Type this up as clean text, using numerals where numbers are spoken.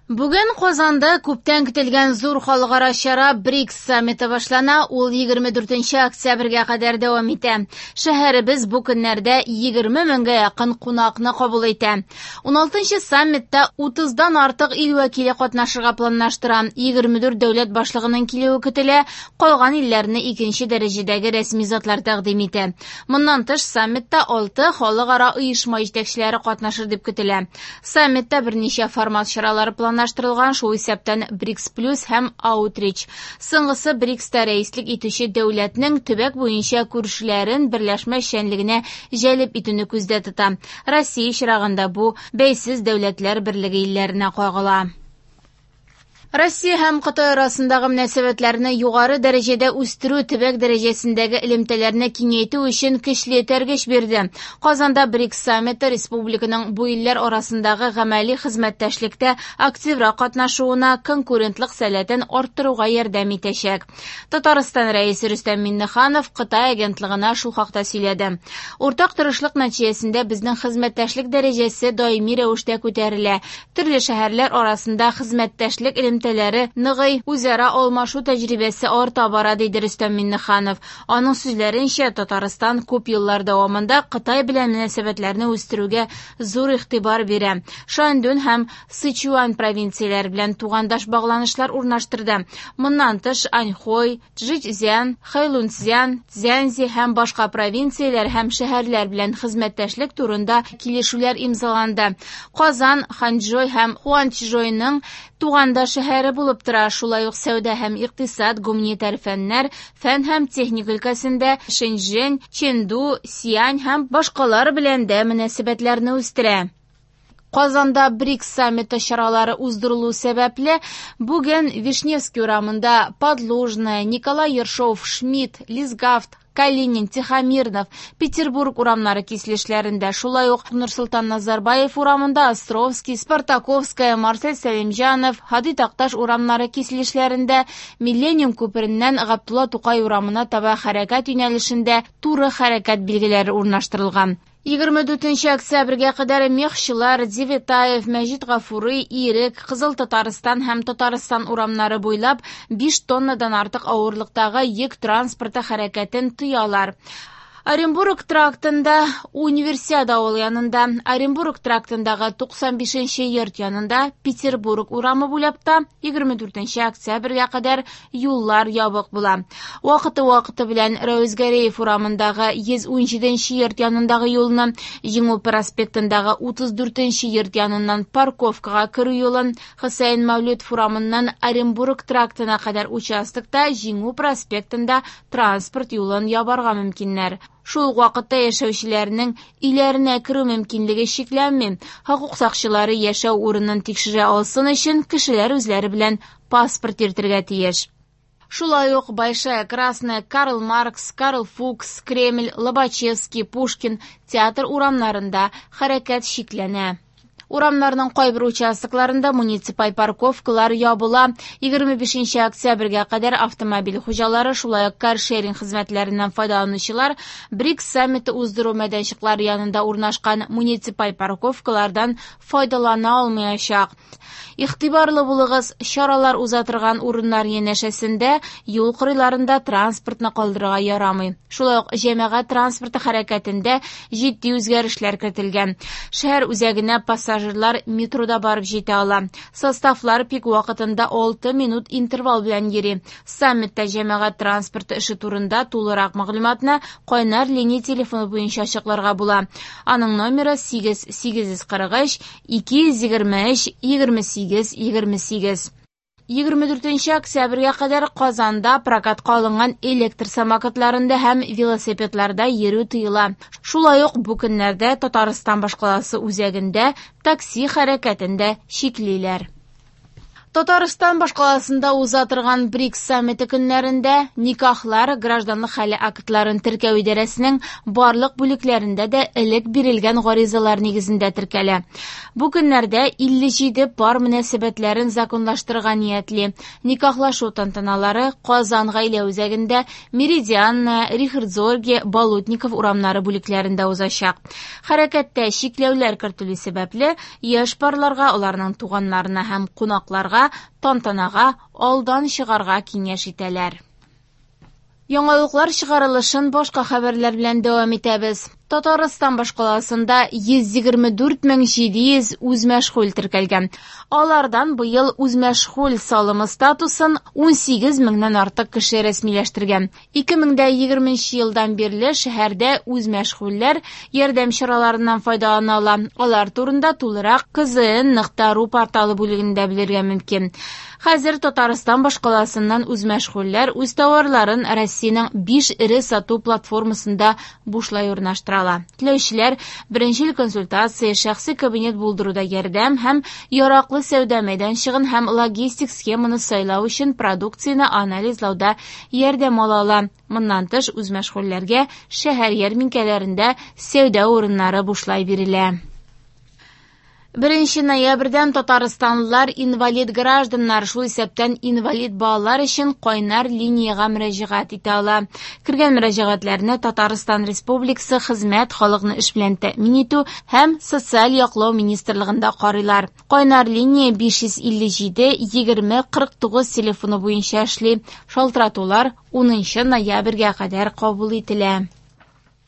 Бүген Казанда күптән көтелгән зур халыкара чара БРИКС саммиты башлана. Ул 24 октябрьгә кадәр дәвам итә. Шәһәребез бу көннәрдә 20 меңгә якын кунакны кабул итә. 16 саммитта 30-дан артык ил вәкиле катнашырга планлаштыра. 24 дәүләт башлыгының килүе көтелә, калган илләрне икенче дәрәҗәдәге рәсми затлар тәкъдим итә. Моннан тыш, саммитта 6 халыкара оешма җитәкчеләре катнашыр дип көтелә. Саммитта берничә формат чаралары планлаштырылган, шул исәптән БРИКС плюс һәм Аутрич. Соңгысы БРИКСта рәислек итүче дәүләтнең төбәк буенча күршеләрен берләшмә эшчәнлегенә җәлеп итүне күздә тота. Россия очрагында бу бәйсез дәүләтләр берлеге илләренә кагыла. Россия һәм Кытай арасындагы мөнәсәбәтләрне югары дәрәҗәдә үстерү төбәк дәрәҗәсендәге элемтәләрне киңәйтү өчен көчле этәргеч бирде. Казанда БРИКС саммиты республиканың бу илләр арасындагы гамәли хезмәттәшлектә активрак катнашуына, конкурентлык сәләтен арттыруга ярдәм итәчәк. Татарстан Рәисе Рөстәм Миңнеханов Кытай агентлыгына шул хакта сөйләде. Уртак тырышлык нәтиҗәсендә безнең хезмәттәшлек дәрәҗәсе даими рәвештә күтәрелә. Төрле шәһәрләр арасында хезмәттәшлек элемтәләре ныгый, үзара алмашу тәҗрибәсе арта бара, диде Рөстәм Миңнеханов. Аның сүзләренчә, Татарстан күп еллар дәвамында Кытай белән мөнәсәбәтләрне үстерүгә зур игътибар бирә. Шаньдун һәм Сычуань провинцияләре белән тугандаш багланышлар урнаштырды. Моннан тыш, Аньхой, Чжэцзян, Хэйлунцзян, Цзянси һәм башка провинцияләр һәм шәһәрләр белән хезмәттәшлек турында килешүләр имзаланды. Казан, Ханчжоу һәм Хуанчжоуның тугандаш шәһәре булып тора. Шулай ук сәүдә һәм икътисад, гуманитар фәннәр, фән һәм техника өлкәсендә Шэньчжэнь, Чэнду, Сиань һәм башкалар белән дә мөнәсәбәтләрне үстерә. Казанда БРИКС саммиты чаралары уздырылу сәбәпле, бүген Вишневский урамында Подлужная, Николай Ершов, Шмидт, Лисгафт, Калинин, Тихомирнов, Петербург урамнары киселешләрендә, шулай ук Нурсолтан Назарбаев урамында Островский, Спартаковская, Марсель Сәлимҗанов, Һади Такташ урамнары киселешләрендә, Миллениум күпереннән Габдулла Тукай урамына таба хәрәкәт юнәлешендә туры хәрәкәт билгеләре урнаштырылган. 24 октябрьгә кадәр Мехчылар, Девятаев, Мәҗит Гафури, Ирек, Кызыл Татарстан һәм Татарстан урамнары буйлап 5 тоннадан артык авырлыктагы йөк транспорты хәрәкәтен тыялар. Оренбург трактында Универсиада авылы янында, Оренбург трактындагы 95 йорт янында, Петербург урамы буйлап та 24 октябрьгә кадәр юллар ябык була. Вакыты-вакыты белән Рәүз Гәрәев урамындагы 117 йорт янындагы юлны, Җиңү проспектындагы 34 йорт яныннан парковкага керү юлын, Хөсәен Мәүлетов урамыннан Оренбург трактына кадәр участокта Җиңү проспектында транспорт юлын ябарга мөмкиннәр. Шул ук вакытта яшәүчеләрнең өйләренә керү мөмкинлеге чикләнми. Хокук сакчылары яшәү урынын тикшерә алсын өчен кешеләр үзләре белән паспорт йөртергә тиеш. Шулай ук Большая Красная, Карл Маркс, Карл Фукс, Кремль, Лобачевский, Пушкин театр урамнарында хәрәкәт чикләнә. Урамнарның кайбер участокларында муниципаль парковкалар ябыла. 25 октябрьгә кадәр автомобиль хуҗалары, шулай ук каршеринг хезмәтләреннән файдаланучылар БРИКС саммиты уздыру мәйданчыклары янында урнашкан муниципаль парковкалардан файдалана алмаячак. Игътибарлы булыгыз, чаралар уза торган урыннар янәшәсендә юл кырыйларында транспортны калдырырга ярамый. Шулай ук җәмәгать транспорты хәрәкәтендә җитди үзгәрешләр кертелгән. Шәһәр үзәгенә пассажирлар метрода барып җитә ала. Составлар пик вакытында 6 минут интервал белән йөри. Саммитта җәмәгать транспорты эше турында тулырак мәгълүматны кайнар линия телефоны буенча ачыкларга була. Аның номеры 8 843 223 28 28. 24 октябрьгә кадәр Казанда прокатка алынган электр самокатларында һәм велосипедларда йөрү тыела. Шулай ук бу көннәрдә Татарстан башкаласы үзәгендә такси хәрәкәтен дә чиклиләр. Татарстан башкаласында уза торган БРИКС саммиты көннәрендә никахлар гражданлык хәле актларын теркәү идарәсенең барлык бүлекләрендә дә элек бирелгән гаризалар нигезендә теркәлә. Бу көннәрдә 57 пар мөнәсәбәтләрен законлаштырырга ниятли. Никахлашу тантаналары Казан гаилә үзәгендә, Меридианная, Рихард Зорге, Болотников урамнары бүлекләрендә узачак. Хәрәкәттә чикләүләр кертелү сәбәпле, яшь парларга, аларның туганнарына һәм кунакларга тантанага алдан чыгарга киңәш итәләр. Яңалыклар чыгарылышын башка хәбәрләр белән дәвам итәбез. Татарстан башкаласында 124 700 үзмәшгуль теркәлгән. Алардан быел үзмәшгуль салымы статусын 18 меңнән артык кеше рәсмиләштергән. 2020 елдан бирле шәһәрдә үзмәшгульләр ярдәм чараларыннан файдалана ала. Алар турында тулырак kzn.ru порталы бүлегендә белергә мөмкин. Хәзер Татарстан башкаласыннан үзмәшгульләр үз товарларын Россиянең 5 эре сату платформасында бушлай урнаштыра ала. Теләүчеләр беренчел консультация, шәхси кабинет булдыруда ярдәм һәм яраклы сәүдә мәйданчыгын һәм логистик схеманы сайлау өчен продукцияне анализлауда ярдәм ала ала. Моннан тыш, үзмәшгульләргә шәһәр ярминкәләрендә сәүдә урыннары бушлай бирелә. 1 ноябрьдән татарстанлылар инвалид гражданнар, шул исәптән инвалид балалар өчен кайнар линиягә мөрәҗәгать итә ала. Кергән мөрәҗәгатьләрне Татарстан Республикасы Хезмәт, халыкны эш белән тәэмин итү һәм социаль яклау министрлыгында карыйлар. Кайнар линия 557 20 49 телефоны буенча эшли. Шалтыратулар 10 ноябрьгә кадәр кабул ителә.